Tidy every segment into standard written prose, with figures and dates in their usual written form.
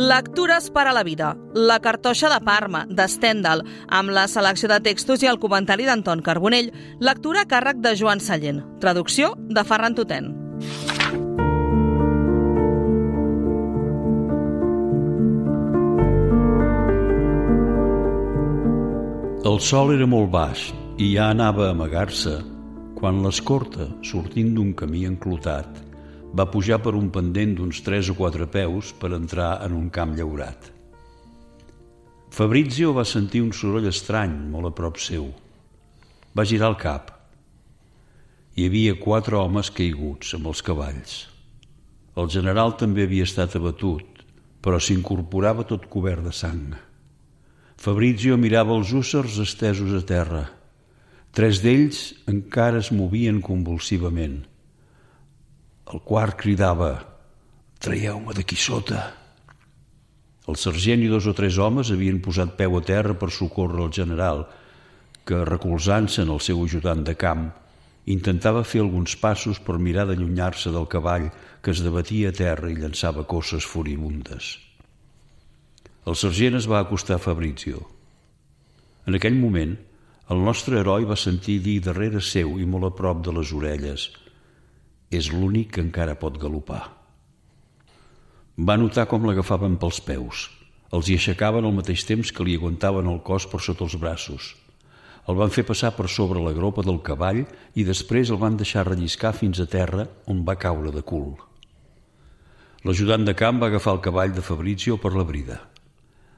Lectures per a la vida, La cartoixa de Parma, de Stendhal, amb la selecció de textos i el comentari d'Anton Carbonell, lectura a càrrec de Joan Sallent, traducció de Ferran Tutén. El sol era molt baix i ja anava a amagar-se quan l'escorta, sortint d'un camí enclotat, va pujar per un pendent d'uns 3 o 4 peus per entrar en un camp llaurat. Fabrizio va sentir un soroll estrany molt a prop seu. Va girar el cap. Hi havia 4 homes caiguts amb els cavalls. El general també havia estat abatut, però s'incorporava tot cobert de sang. Fabrizio mirava els hússars estesos a terra. 3 d'ells encara es movien convulsivament. El quart cridava: «Traieu-me d'aquí sota!» El sergent i 2 o 3 homes havien posat peu a terra per socórrer el general, que, recolzant-se en el seu ajudant de camp, intentava fer alguns passos per mirar d'allunyar-se del cavall que es debatia a terra i llançava cosses furibundes. El sergent es va acostar a Fabrizio. En aquell moment, el nostre heroi va sentir dir darrere seu i molt a prop de les orelles: «És l'únic que encara pot galopar». Va notar com l'agafaven pels peus. Els hi aixecaven al mateix temps que li aguantaven el cos per sota els braços. El van fer passar per sobre la gropa del cavall i després el van deixar relliscar fins a terra, on va caure de cul. L'ajudant de camp va agafar el cavall de Fabrizio per la brida.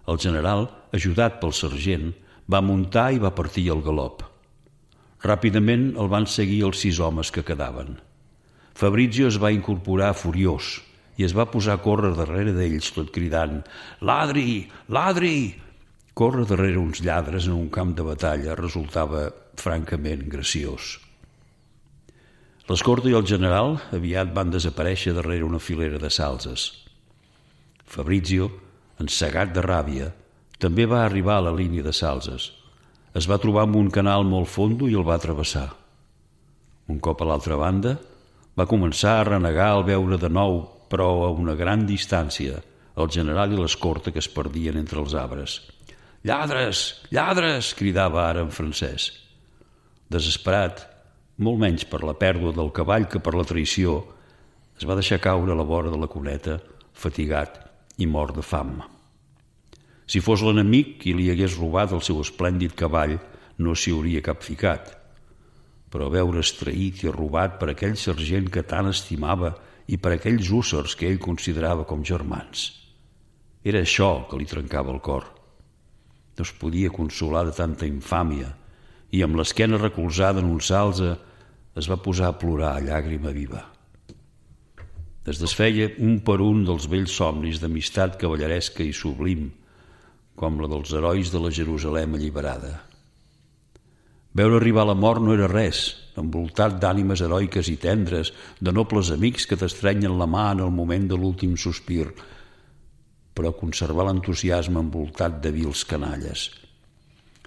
El general, ajudat pel sergent, va muntar i va partir el galop. Ràpidament el van seguir els 6 homes que quedaven. Fabrizio es va incorporar furiós i es va posar a córrer darrere d'ells tot cridant: «Ladri! Ladri!» Córrer darrere uns lladres en un camp de batalla resultava francament graciós. L'escorta i el general aviat van desaparèixer darrere una filera de salzes. Fabrizio, encegat de ràbia, també va arribar a la línia de salzes. Es va trobar amb un canal molt fondo i el va travessar. Un cop a l'altra banda, va començar a renegar al veure de nou, però a una gran distància, el general i l'escorta que es perdien entre els arbres. «Lladres! Lladres!» cridava ara en francès. Desesperat, molt menys per la pèrdua del cavall que per la traïció, es va deixar caure a la vora de la cuneta, fatigat i mort de fam. Si fos l'enemic qui li hagués robat el seu esplèndid cavall, no s'hi hauria capficat. Però veure's traït i robat per aquell sergent que tant estimava i per aquells hússars que ell considerava com germans. Era això que li trencava el cor. No es podia consolar de tanta infàmia i, amb l'esquena recolzada en un salze, es va posar a plorar a llàgrima viva. Es desfeia un per un dels vells somnis d'amistat cavalleresca i sublim, com la dels herois de la Jerusalem alliberada. Veure arribar la mort no era res, envoltat d'ànimes heroiques i tendres, de nobles amics que t'estrenyen la mà en el moment de l'últim sospir, però conservar l'entusiasme envoltat de vils canalles.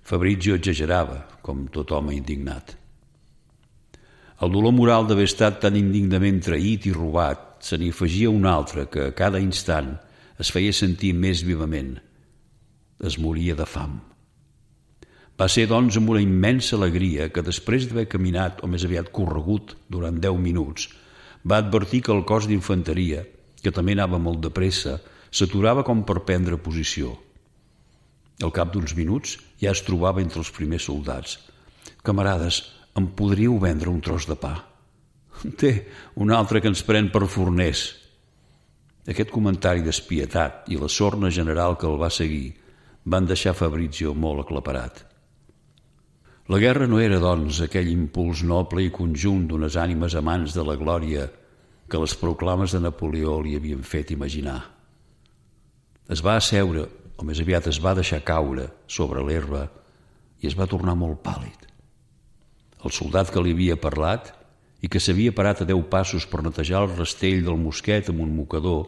Fabrizio exagerava, com tot home indignat. El dolor moral d'haver estat tan indignament traït i robat se n'hi afegia un altre que a cada instant es feia sentir més vivament. Es moria de fam. Va ser, doncs, amb una immensa alegria que, després d'haver caminat, o més aviat corregut, durant 10 minuts, va advertir que el cos d'infanteria, que també anava molt de pressa, s'aturava com per prendre posició. Al cap d'uns minuts ja es trobava entre els primers soldats. «Camarades, em podríeu vendre un tros de pa?» «Té, un altre que ens pren per forners». Aquest comentari despietat i la sorna general que el va seguir van deixar Fabrizio molt aclaparat. La guerra no era, doncs, aquell impuls noble i conjunt d'unes ànimes amants de la glòria que les proclames de Napoleó li havien fet imaginar. Es va asseure, o més aviat es va deixar caure, sobre l'herba i es va tornar molt pàl·lid. El soldat que li havia parlat i que s'havia parat a 10 passos per netejar el rastell del mosquet amb un mocador,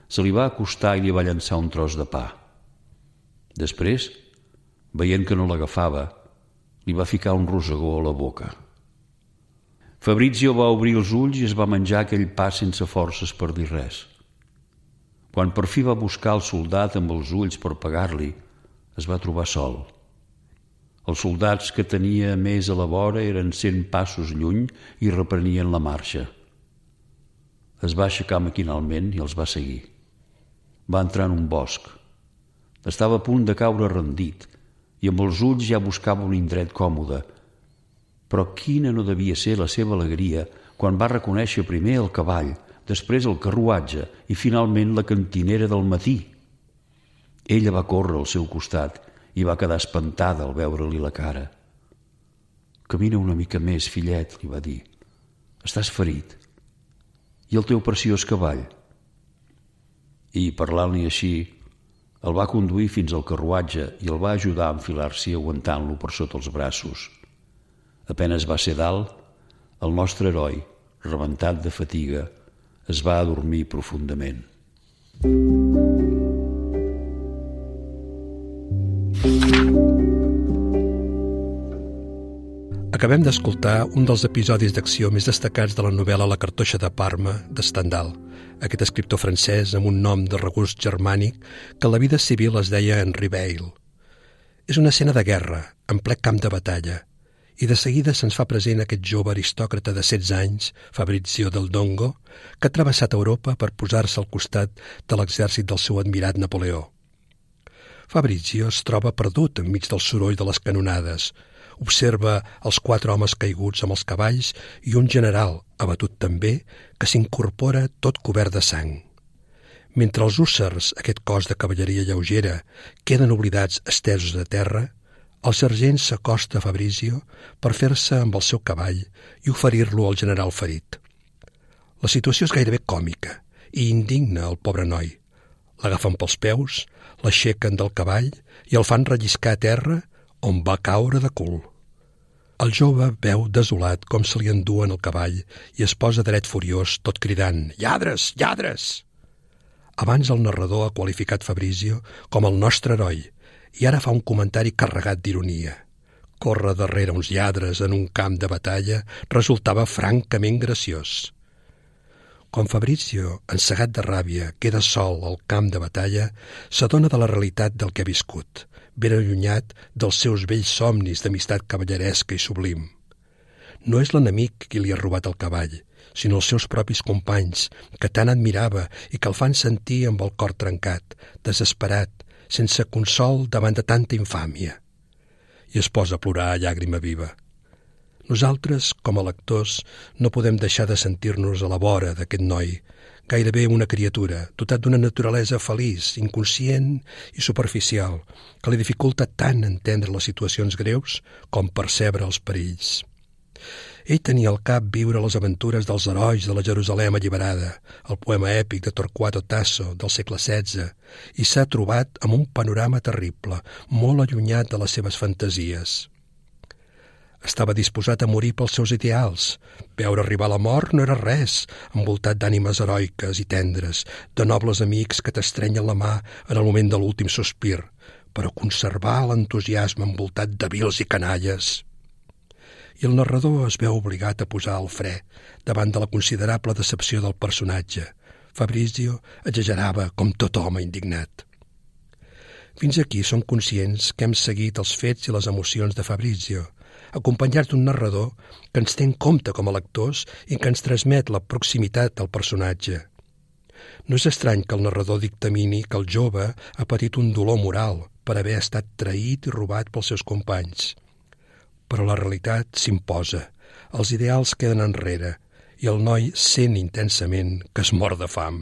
se li va acostar i li va llançar un tros de pa. Després, veient que no l'agafava, li va ficar un rosegó a la boca. Fabrizio va obrir els ulls i es va menjar aquell pa sense forces per dir res. Quan per fi va buscar el soldat amb els ulls per pagar-li, es va trobar sol. Els soldats que tenia més a la vora eren 100 passos lluny i reprenien la marxa. Es va aixecar maquinalment i els va seguir. Va entrar en un bosc. Estava a punt de caure rendit i amb els ulls ja buscava un indret còmode. Però quina no devia ser la seva alegria quan va reconèixer primer el cavall, després el carruatge i finalment la cantinera del matí. Ella va córrer al seu costat i va quedar espantada al veure-li la cara. «Camina una mica més, fillet», li va dir. «Estàs ferit. I el teu preciós cavall?» I, parlant-li així, el va conduir fins al carruatge i el va ajudar a enfilar-s'hi aguantant-lo per sota els braços. Apenes va ser dalt, el nostre heroi, rebentat de fatiga, es va adormir profundament. Acabem d'escoltar un dels episodis d'acció més destacats de la novel·la La cartoixa de Parma, de Stendhal, aquest escriptor francès amb un nom de regust germànic que a la vida civil es deia Henri Beyle. És una escena de guerra, en ple camp de batalla, i de seguida se'ns fa present aquest jove aristòcrata de 16 anys, Fabrizio del Dongo, que ha travessat Europa per posar-se al costat de l'exèrcit del seu admirat Napoleó. Fabrizio es troba perdut enmig del soroll de les canonades, observa els 4 homes caiguts amb els cavalls i un general, abatut també, que s'incorpora tot cobert de sang. Mentre els hússars, aquest cos de cavalleria lleugera, queden oblidats estesos a terra, el sergent s'acosta a Fabrizio per fer-se amb el seu cavall i oferir-lo al general ferit. La situació és gairebé còmica i indigna el pobre noi. L'agafen pels peus, l'aixequen del cavall i el fan relliscar a terra, on va caure de cul. El jove veu desolat com se li enduen el cavall i es posa dret furiós, tot cridant «Lladres! Lladres!». Abans el narrador ha qualificat Fabrizio com el nostre heroi i ara fa un comentari carregat d'ironia. Córrer darrere uns lladres en un camp de batalla resultava francament graciós. Quan Fabrizio, encegat de ràbia, queda sol al camp de batalla, s'adona de la realitat del que ha viscut, ben allunyat dels seus vells somnis d'amistat cavalleresca i sublim. No és l'enemic qui li ha robat el cavall, sinó els seus propis companys, que tant admirava i que el fan sentir amb el cor trencat, desesperat, sense consol davant de tanta infàmia. I es posa a plorar a llàgrima viva. Nosaltres, com a lectors, no podem deixar de sentir-nos a la vora d'aquest noi, gairebé una criatura, dotat d'una naturalesa feliç, inconscient i superficial, que li dificulta tant entendre les situacions greus com percebre els perills. Ell tenia al cap viure les aventures dels herois de la Jerusalem alliberada, el poema èpic de Torquato Tasso del segle XVI, i s'ha trobat amb un panorama terrible, molt allunyat de les seves fantasies. Estava disposat a morir pels seus ideals. Veure arribar la mort no era res, envoltat d'ànimes heroiques i tendres, de nobles amics que t'estrenyen la mà en el moment de l'últim sospir, però conservar l'entusiasme envoltat de vils i canalles. I el narrador es veu obligat a posar el fre davant de la considerable decepció del personatge. Fabrizio exagerava com tot home indignat. Fins aquí som conscients que hem seguit els fets i les emocions de Fabrizio, acompanyats d'un narrador que ens té en compte com a lectors i que ens transmet la proximitat al personatge. No és estrany que el narrador dictamini que el jove ha patit un dolor moral per haver estat traït i robat pels seus companys. Però la realitat s'imposa, els ideals queden enrere i el noi sent intensament que es mor de fam.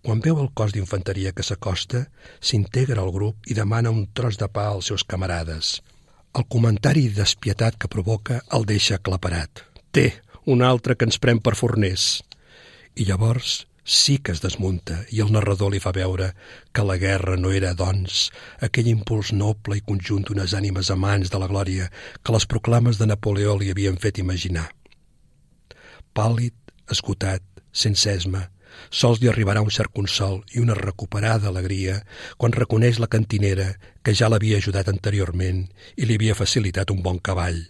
Quan veu el cos d'infanteria que s'acosta, s'integra al grup i demana un tros de pa als seus camarades. El comentari despietat que provoca el deixa aclaparat. Té, un altre que ens pren per forners. I llavors sí que es desmunta i el narrador li fa veure que la guerra no era, doncs, aquell impuls noble i conjunt d'unes ànimes amants de la glòria que les proclames de Napoleó li havien fet imaginar. Pàl·lid, esgotat, sense esma, sols li arribarà un cert consol i una recuperada alegria quan reconeix la cantinera que ja l'havia ajudat anteriorment i li havia facilitat un bon cavall.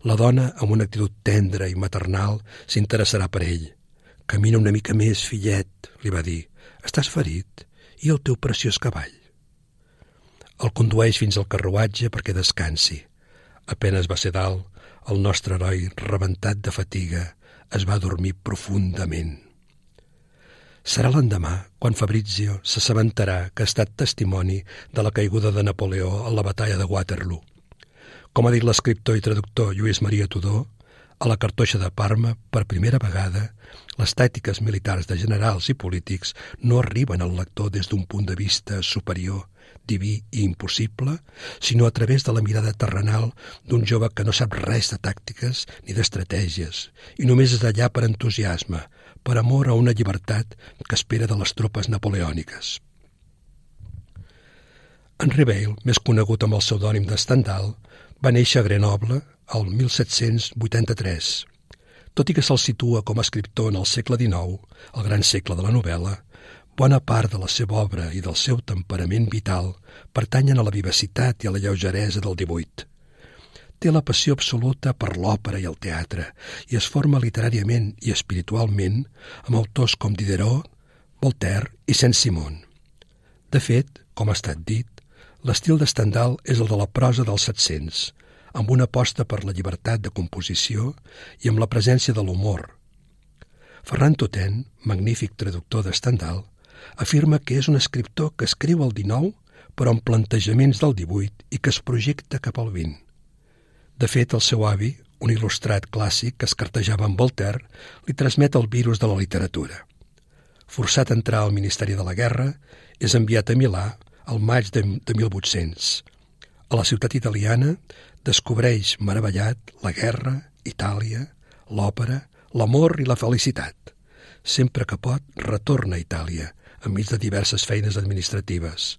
La dona, amb una actitud tendra i maternal, s'interessarà per ell, «Camina una mica més, fillet», li va dir. «Estàs ferit? I el teu preciós cavall?» El condueix fins al carruatge perquè descansi. Apenes va ser dalt, el nostre heroi, rebentat de fatiga, es va dormir profundament. Serà l'endemà quan Fabrizio s'assabentarà que ha estat testimoni de la caiguda de Napoleó en la batalla de Waterloo. Com ha dit l'escriptor i traductor Lluís Maria Tudor, a la Cartoixa de Parma, per primera vegada, les tàctiques militars de generals i polítics no arriben al lector des d'un punt de vista superior, diví i impossible, sinó a través de la mirada terrenal d'un jove que no sap res de tàctiques ni d'estratègies i només és allà per entusiasme, per amor a una llibertat que espera de les tropes napoleòniques. Henri Weil, més conegut amb el pseudònim de Stendhal, va néixer a Grenoble el 1783. Tot i que se'l situa com a escriptor en el segle XIX, el gran segle de la novel·la, bona part de la seva obra i del seu temperament vital pertanyen a la vivacitat i a la lleugeresa del 18. Té la passió absoluta per l'òpera i el teatre i es forma literàriament i espiritualment amb autors com Diderot, Voltaire i Saint-Simon. De fet, com ha estat dit, l'estil de Stendhal és el de la prosa dels 700, amb una aposta per la llibertat de composició i amb la presència de l'humor. Ferran Toten, magnífic traductor de Stendhal, afirma que és un escriptor que escriu el 19 però amb plantejaments del 18 i que es projecta cap al 20. De fet, el seu avi, un il·lustrat clàssic que es cartejava amb Voltaire, li transmet el virus de la literatura. Forçat a entrar al Ministeri de la Guerra, és enviat a Milà al maig de 1800. A la ciutat italiana descobreix meravellat la guerra, Itàlia, l'òpera, l'amor i la felicitat. Sempre que pot, retorna a Itàlia, enmig de diverses feines administratives.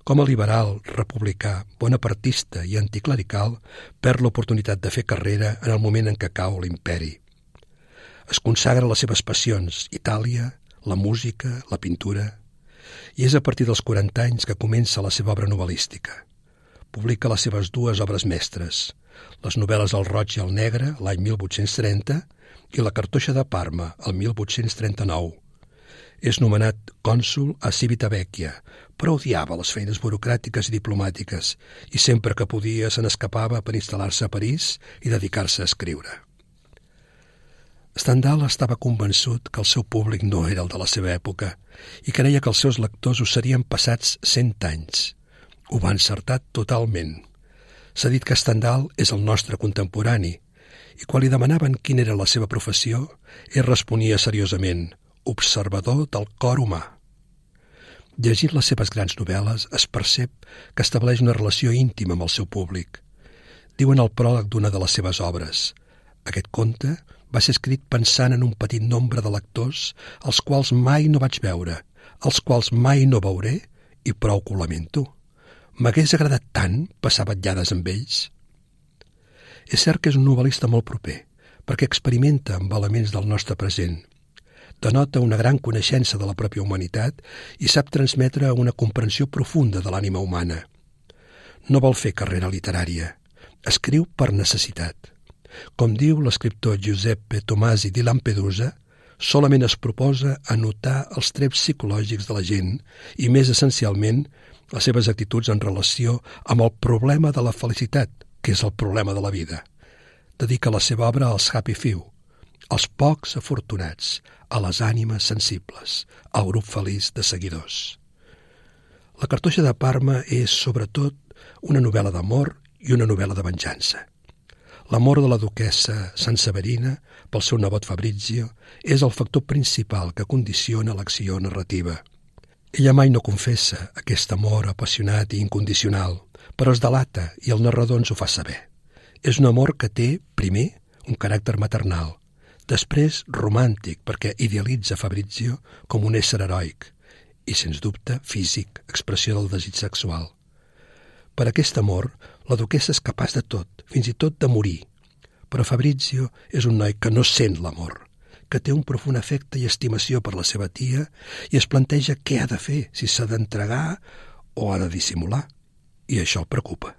Com a liberal, republicà, bonapartista i anticlerical, perd l'oportunitat de fer carrera en el moment en què cau l'imperi. Es consagra a les seves passions, Itàlia, la música, la pintura, i és a partir dels 40 anys que comença la seva obra novel·lística. Publica les seves dues obres mestres, les novel·les El roig i el negre, l'any 1830, i La cartoixa de Parma, el 1839. És nomenat cònsol a Civitavecchia, però odiava les feines burocràtiques i diplomàtiques i sempre que podia se n'escapava per instal·lar-se a París i dedicar-se a escriure. Stendhal estava convençut que el seu públic no era el de la seva època i creia que els seus lectors ho serien passats 100 anys. Ho va encertar totalment. S'ha dit que Stendhal és el nostre contemporani i quan li demanaven quina era la seva professió, ell responia seriosament: observador del cor humà. Llegint les seves grans novel·les es percep que estableix una relació íntima amb el seu públic. Diu en el pròleg d'una de les seves obres: aquest conte va ser escrit pensant en un petit nombre de lectors els quals mai no vaig veure, els quals mai no veuré i prou que ho lamento. M'hagués agradat tant passar vetllades amb ells. És cert que és un novel·lista molt proper, perquè experimenta amb elements del nostre present. Denota una gran coneixença de la pròpia humanitat i sap transmetre una comprensió profunda de l'ànima humana. No vol fer carrera literària. Escriu per necessitat. Com diu l'escriptor Giuseppe Tomasi di Lampedusa, solament es proposa anotar els trets psicològics de la gent i, més essencialment, les seves actituds en relació amb el problema de la felicitat, que és el problema de la vida. Dedica la seva obra als happy few, als pocs afortunats, a les ànimes sensibles, al grup feliç de seguidors. La cartoixa de Parma és, sobretot, una novel·la d'amor i una novel·la de venjança. L'amor de la duquessa Sanseverina pel seu nebot Fabrizio és el factor principal que condiciona l'acció narrativa. Ella mai no confessa aquest amor apassionat i incondicional, però es delata i el narrador ens ho fa saber. És un amor que té, primer, un caràcter maternal, després romàntic perquè idealitza Fabrizio com un ésser heroic i, sens dubte, físic, expressió del desig sexual. Per aquest amor, la duquessa és capaç de tot, fins i tot de morir. Però Fabrizio és un noi que no sent l'amor, que té un profund afecte i estimació per la seva tia i es planteja què ha de fer, si s'ha d'entregar o ha de dissimular. I això el preocupa.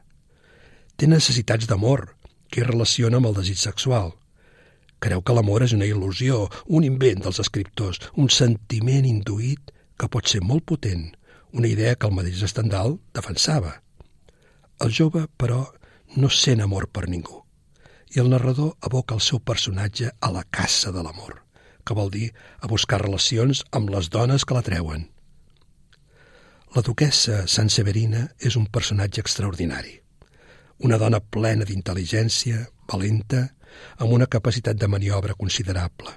Té necessitats d'amor, que hi relaciona amb el desig sexual. Creu que l'amor és una il·lusió, un invent dels escriptors, un sentiment induït que pot ser molt potent, una idea que el mateix Stendhal defensava. El jove, però, no sent amor per ningú, i el narrador aboca el seu personatge a la caça de l'amor, que vol dir a buscar relacions amb les dones que l'atreuen. La duquessa Sanseverina és un personatge extraordinari, una dona plena d'intel·ligència, valenta, amb una capacitat de maniobra considerable.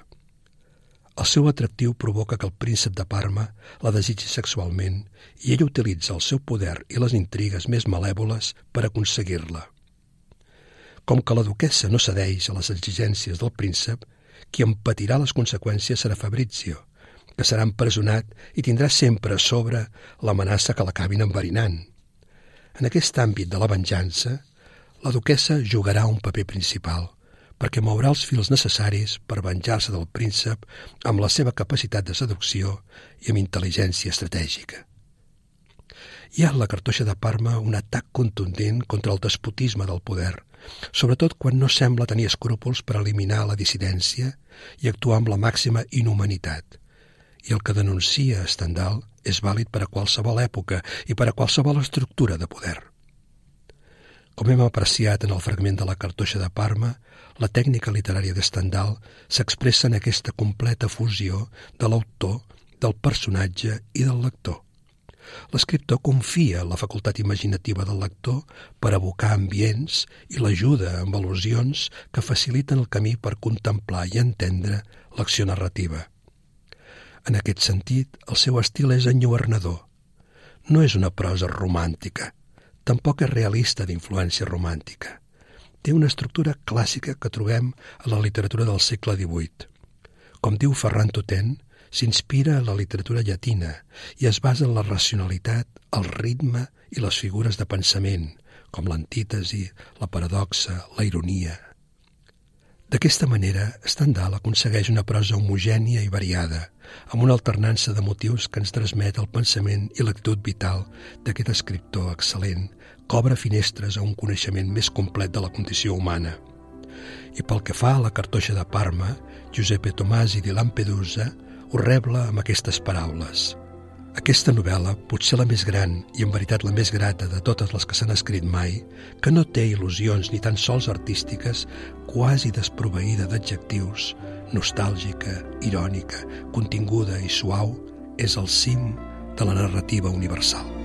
El seu atractiu provoca que el príncep de Parma la desitgi sexualment i ell utilitza el seu poder i les intrigues més malèvoles per aconseguir-la. Com que la duquessa no cedeix a les exigències del príncep, qui en patirà les conseqüències serà Fabrizio, que serà empresonat i tindrà sempre a sobre l'amenaça que l'acabin enverinant. En aquest àmbit de la venjança, la duquessa jugarà un paper principal, perquè mourà els fils necessaris per venjar-se del príncep amb la seva capacitat de seducció i amb intel·ligència estratègica. Hi ha a la Cartoixa de Parma un atac contundent contra el despotisme del poder, sobretot quan no sembla tenir escrúpols per eliminar la dissidència i actuar amb la màxima inhumanitat. I el que denuncia Stendhal és vàlid per a qualsevol època i per a qualsevol estructura de poder. Com hem apreciat en el fragment de la Cartoixa de Parma, la tècnica literària de Stendhal s'expressa en aquesta completa fusió de l'autor, del personatge i del lector. L'escriptor confia en la facultat imaginativa del lector per evocar ambients i l'ajuda amb al·lusions que faciliten el camí per contemplar i entendre l'acció narrativa. En aquest sentit, el seu estil és enlluernador. No és una prosa romàntica, tampoc és realista d'influència romàntica. Té una estructura clàssica que trobem a la literatura del segle XVIII. Com diu Ferran Totent, s'inspira en la literatura llatina i es basa en la racionalitat, el ritme i les figures de pensament, com l'antítesi, la paradoxa, la ironia. D'aquesta manera, Stendhal aconsegueix una prosa homogènia i variada, amb una alternança de motius que ens transmet el pensament i l'actitud vital d'aquest escriptor excel·lent, que obre finestres a un coneixement més complet de la condició humana. I pel que fa a la Cartoixa de Parma, Giuseppe Tomasi di Lampedusa ho rebla amb aquestes paraules. Aquesta novel·la, potser la més gran i en veritat la més grata de totes les que s'han escrit mai, que no té il·lusions ni tan sols artístiques, quasi desproveïda d'adjectius, nostàlgica, irònica, continguda i suau, és el cim de la narrativa universal.